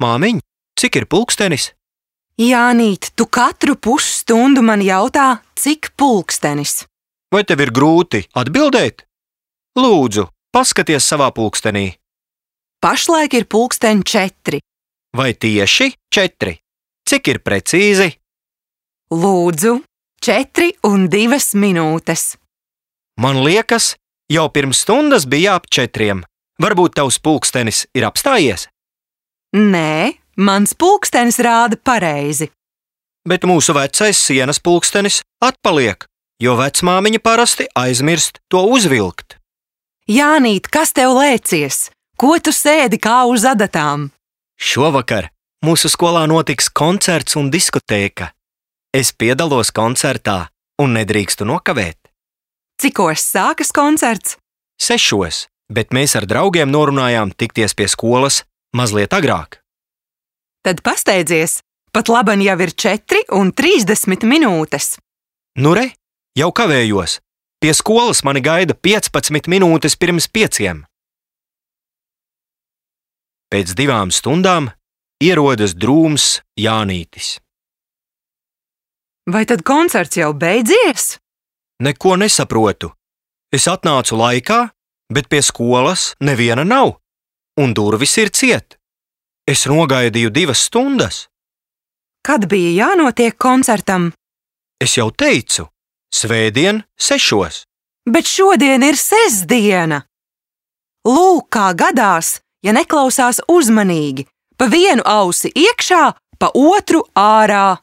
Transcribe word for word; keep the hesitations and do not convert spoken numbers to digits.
Māmiņ, cik ir pulkstenis? Jānīt, tu katru pusstundu man jautā, cik pulkstenis. Vai tev ir grūti atbildēt? Lūdzu, paskaties savā pulkstenī. Pašlaik ir pulksteņi četri. Vai tieši četri? Cik ir precīzi? Lūdzu, četri un divas minūtes. Man liekas, jau pirms stundas bija ap četriem. Varbūt tavs pulkstenis ir apstājies? Nē, mans pulkstenis rāda pareizi. Bet mūsu vecais sienas pulkstenis atpaliek, jo vecmāmiņa parasti aizmirst to uzvilkt. Jānīt, kas tev lēcies? Ko tu sēdi kā uz adatām? Šovakar mūsu skolā notiks koncerts un diskotēka. Es piedalos koncertā un nedrīkstu nokavēt. Cikos sākas koncerts? Sešos, bet mēs ar draugiem norunājām tikties pie skolas mazliet agrāk. Tad pasteidzies, pat laban jau ir četri un trīsdesmit minūtes. Nu re, jau kavējos. Pie skolas mani gaida piecpadsmit minūtes pirms pieciem. Pēc divām stundām ierodas drūms Jānītis. Vai tad koncerts jau beidzies? Neko nesaprotu. Es atnācu laikā, bet pie skolas neviena nav, un durvis ir ciet. Es nogaidīju divas stundas. Kad bija jānotiek koncertam? Es jau teicu, svētdien sešos. Bet šodien ir sestdiena. Lūk, kā gadās, ja neklausās uzmanīgi, pa vienu ausi iekšā, pa otru ārā.